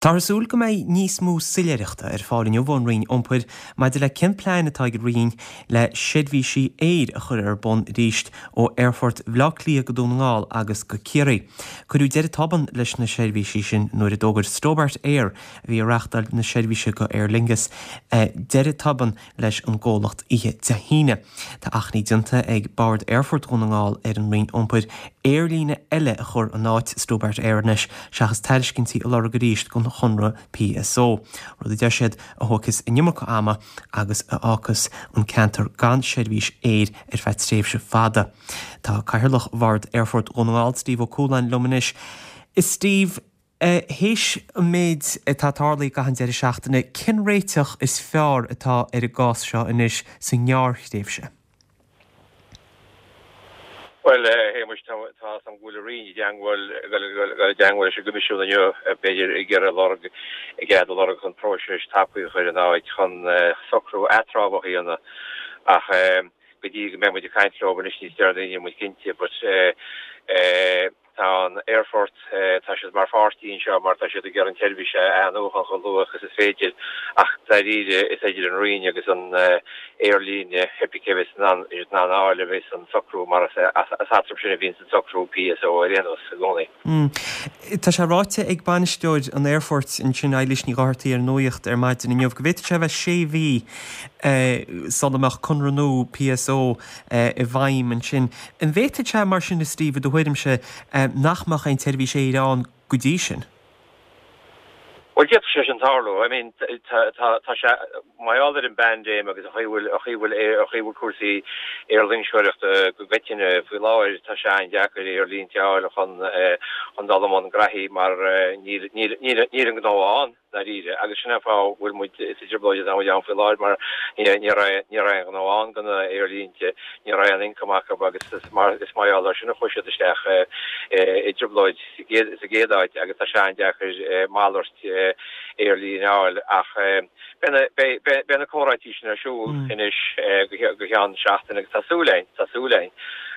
Táthar ag súil go mbeidh níos mó soiléireachta ar fáil inniu ón Roinn Iompair maidir le cén plean atá ag an Roinn le seirbhísí aeir a chur ar bun arís ó Aerfort Bhaile Átha Cliath go Dún na nGall agus go Ciarraí. Cuireadh deireadh tobann leis na seirbhísí sin nuair a d'fhógair Stobart Air, a bhí ag reáchtáil na seirbhíse do Aer Lingus, deireadh tobann leis an gcomhlacht oíche Dé hAoine. Tá achainí déanta ag Bord Aerfort Dhún na nGall ar an Roinn Iompair aerlíne eile a chur in áit Stobart Air anois seachas tairiscintí a lorg arís don chonradh PSO, rud a deir siad a thógfas an iomarca ama agus a fhágfas an ceantar gan seirbhís aeir ar feadh tréimhse fada. Tá Cathaoirleach Bhord Aerfort Dhún na nGall, Steve Ó Cualáin liom anois. Steve. Théis an méid atá tarlaithe i gcaitheamh an deireadh seachtaine, cén réiteach is fearr atá ar an gcás seo anois sa ngearrthréimhse? Bhuel, a Shéamuis, tá a fhios agam go bhfuil an Roinn i dteangmháil, ag dul i dteangmháil leis an gCoimisiún inniu, b'fhéidir, ag iarraidh lorg, ag cead a lorg chun próiseas tapaidh a chur in áit chun socrú eatramhach a dhéanamh. Ach go dtí go mbeidh muid ag caint leo anois níos deireanaí, níl muid cinnte. But Tá an aerfort, tá siad mar pháirtí anseo mar tá siad ag iarraidh an tseirbhís a athnuachan chomh luath agus is féidir ach dáiríre is idir an Roinn agus an aerlíne cibé cé a bheas in ann in ann a fháil a bheas an socrú mar is eatarthu sin a bhíonns an socrú PSO ar aon nós i gcónaí. Tá sé ráite ag bainisteoir an aerfoirt ansin, Eilís Ní Dhochartaigh ar an Nuacht ar maidin inniu go bhféadfadh sé a bheith sé mhí sula mbeadh conradh nua PSO i bhfeidhm ansin. An bhféadfadh sé, mar sin, a Steve, i do thuairimse, nach mbeadh aon tseirbhís aeir ann go dtí sin? Bhuel, d'fhéadfadh sé sin tarlú. I mean, tá, tá, tá sé, mar gheall ar an bpaindéim agus an chaoi a bhfuil, an chaoi a bhfuil, an chaoi a bhfuil cúrsaí aerloingseoireachta go coitinnte faoi láthair, tá sé an-deacair aerlínte a fháil chun, chun dul i mbun graithí mar níl, níl, níl, níl an gnó ann. ndáiríre, agus sin é an fáth a bhfuil muid sa trioblóid atá muid ann faoi láthair mar ní raibh ní raibh aon ghnó ann do na aerlínte, ní raibh aon income acu agus is mar is mar gheall air sin a chuaigh siad isteach i dtrioblóid sa gcéad sa gcéad áit agus tá sé an-deacair malairt aerlíne a fháil ach beidh na beidh beidh beidh na comhráití sin ar siúl anois go ceann seachtaine agus tá súil againn tá súil againn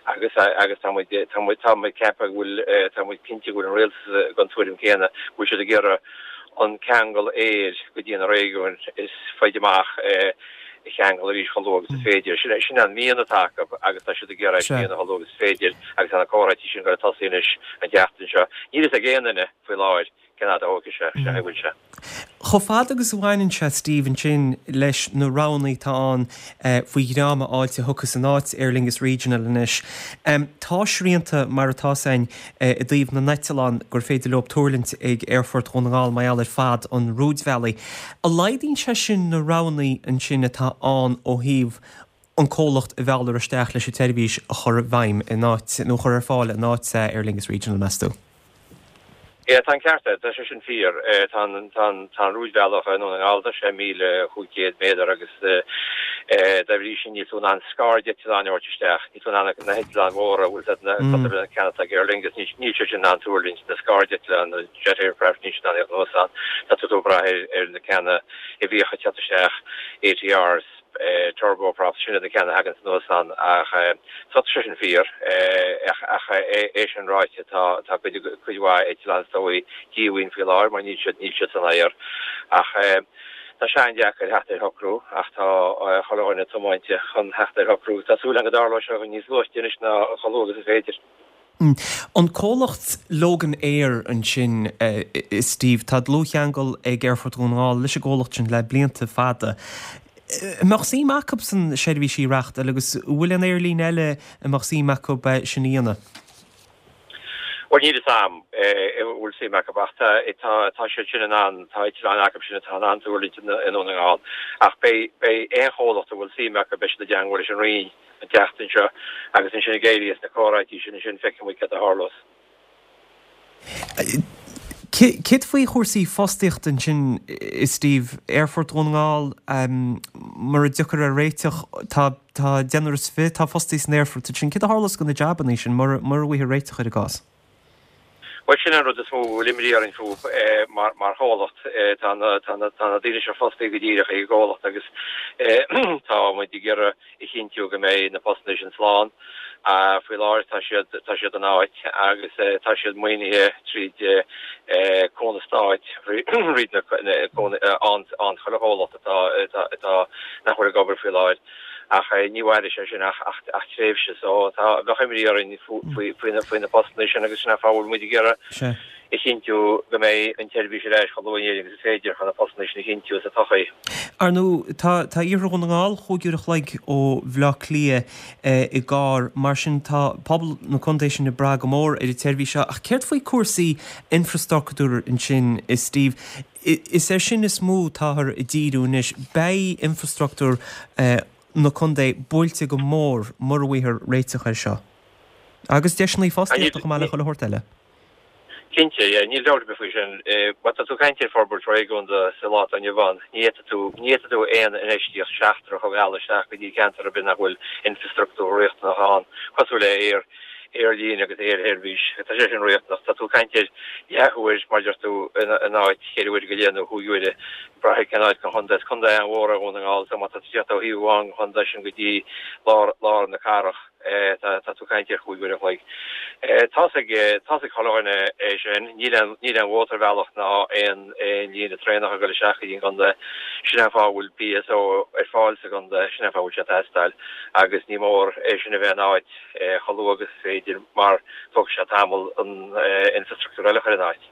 agus agus tá muid tá muid tá muid ceaptha go bhfuil tá muid cinnte go bhfuil an rialtas den tuairim céanna go bhfuil siad ag iarraidh an ceangal aeir go dtí na réigiúin is faide amach a cheangal arís chomh luath agus is féidir. Sin, sin an mian atá acu agus tá siad ag iarraidh é sin a dhéanamh chomh luath agus is féidir agus tá na comhráití sin ag dul a tosaí anois an tseachtain seo. Níl fhios ag aon duine faoi láthair cén fhad a thógfaidh sé, sin é a bhfuil sé. Chomh fada agus a bhaineann sé, Steve, ansin leis na roghanna atá ann faoi dhream a fháilt a thiocfas in áit Aer Lingus Regional anois, tá srianta mar atá 's againn i dtaobh na n-eitleán gur féidir leo tuirlingt ag Aerfort Dhún na nGall mar gheall ar fad an rúidbhealaigh. An laghdaíonn sé sin na roghanna ansin atá ann ó thaobh an comhlacht a mhealladh isteach leis an tseirbhís a chur i bhfeidhm in áit, nó a chur ar fáil in áit Aer Lingus Regional, meas tú? Yeah, tá an ceart agat, tá sé sin fíor. Tá an, tá an, tá an rúidbhealach i nDún na nGall, tá sé 1,500 méadar agus dá bhrí sin níl tú in ann scairdeitleáin a thabhairt isteach, níl tú in ann na heitleáin mhóra, bhfuil siad na, cosúil leis na ceanna atá ag Aer Lingus, níl, níl siad sin in ann tuirlingt, na scairdeitleáin, na jet aircraft, níl siad in ann a theacht anuas ann. Tá tú ag brath ar, ar na ceanna a bhíodh ag teacht isteach, ATRs, turboprops, sin iad na ceanna a thaganns anuas ann ach so tá sé sin fíor ach é sin ráite tá tá cuid cuid mhaith eitleán is dóigh díomhaoin faoi láthair mar níl siad níl siad san aer ach tá sé an-deacair theacht ar shocrú ach tá chuile dhuine tiomáinte chun theacht ar shocrú. Tá súil agam go dtarlóidh sé níos luaite anois ná chomh luath agus is féidir. An comhlacht Logan Air ansin, Steve, tá dlúthcheangal ag Aerfort Dhún na nGall leis an gcomhlacht sin le blianta fada. An mbeadh suim acusan seirbhísí a reáchtáil agus an bhfuil aon aerlíne eile a mbeadh suim acu sin a dhéanamh? Bhuel, níl fhios a'm an bhfuil suim acu ach tá, tá siad sin in ann, tá eitleáin acu sin atá in ann tuirlingt i nDún na nGall. Ach beidh, beidh aon chomhlacht a bhfuil suim acu, beidh siad i dteangmháil leis an Roinn. an tseachtain seo agus ansin ag éirí as na comhráití sin ansin feicfidh muid cad a tharlós. Céard faoi chúrsaí fostaíochta ansin, Steve? Aerfort Dhún na nGall, mura dtiocfar ar réiteach, tá tá deichniúr is fiche atá fostaithe san aerfort ansin. Céard a tharlós do na jabanna sin mura mura bhfaighfear réiteach ar an gcás? Bhuel, sin an rud is mó a bhfuil imní orainn fúthu mar chomhlacht. Tá na daoine seo fostaithe go díreach ag an gcomhlacht agus tá muid ag iarraidh a chinntiú go mbeidh na postanna sin slán. Faoi láthair tá siad tá siad in áit agus tá siad maoinithe tríd cúnamh stáit thríd na an chuile chomhlacht atá atá nach bhfuil ag obair faoi láthair. Ach ní mhairfidh sé sin ach tréimhse so tá, bheadh imní orainn faoi na postanna sin agus sin an fáth a bhfuil muid ag iarraidh a chinntiú go mbeidh an tseirbhís ar ais chomh luath in Éirinn agus is féidir chun na postanna sin a chinntiú sa todhchaí. Ar ndóigh, tá tá Iarthar Dhún na nGall chúig uair a chloig ó Bhaile Átha Cliath i gcarr, mar sin tá pobal na contae sin ag brath go mór ar an tseirbhís seo. Ach céard faoi cúrsaí infreastruchtúir ansin, Steve? Is air sin is mó atáthar ag díriú anois. Beidh infreastruchtúr na contae buailte go mór mura bhfaighthear réiteach air seo. Agus deiseanna fostaíochta chomh maith le chuile shórt eile. Cinnte, yeah, níl dabht ar bith faoi sin. Má tá tú ag caint ar forbairt réigiúnda sa lá atá inniu ann, ní fhéadfaidh tú, ní fhéadfaidh tú aon infheistíocht seachtrach a mhealladh isteach go dtí ceantar ar bith nach bhfuil infreastruchtúr riachtanach ann, cosúil le aer, aerlíne agus aersheirbhís. Tá sé sin riachtanach. Tá tú ag caint ar leathuair, mar a deir tú, in áit cheithre huaire go leith nó chúig uaire, ag brath ar cén áit den chontae. Is contae an-mhór é Dhún na nGall, so má tá tú ag teacht ó thaobh amháin den chontae sin go dtí lár, lár na cathrach, tá, tá tú ag caint ar chúig uair an chloig. Tá's ag, tá's ag chuile dhuine é sin. Níl aon, níl aon mhótarbhealach ná aon, aon líne traenach ag dul isteach go dtí an gcontae. Sin an fáth a bhfuil BSO ar fáil sa gcontae, sin an fáth a bhfuil sé ag teastáil agus ní mór é sin a bheith in áit. chomh luath agus is féidir mar tógfaidh sé tamall an infreastruchtúr eile a chur in áit.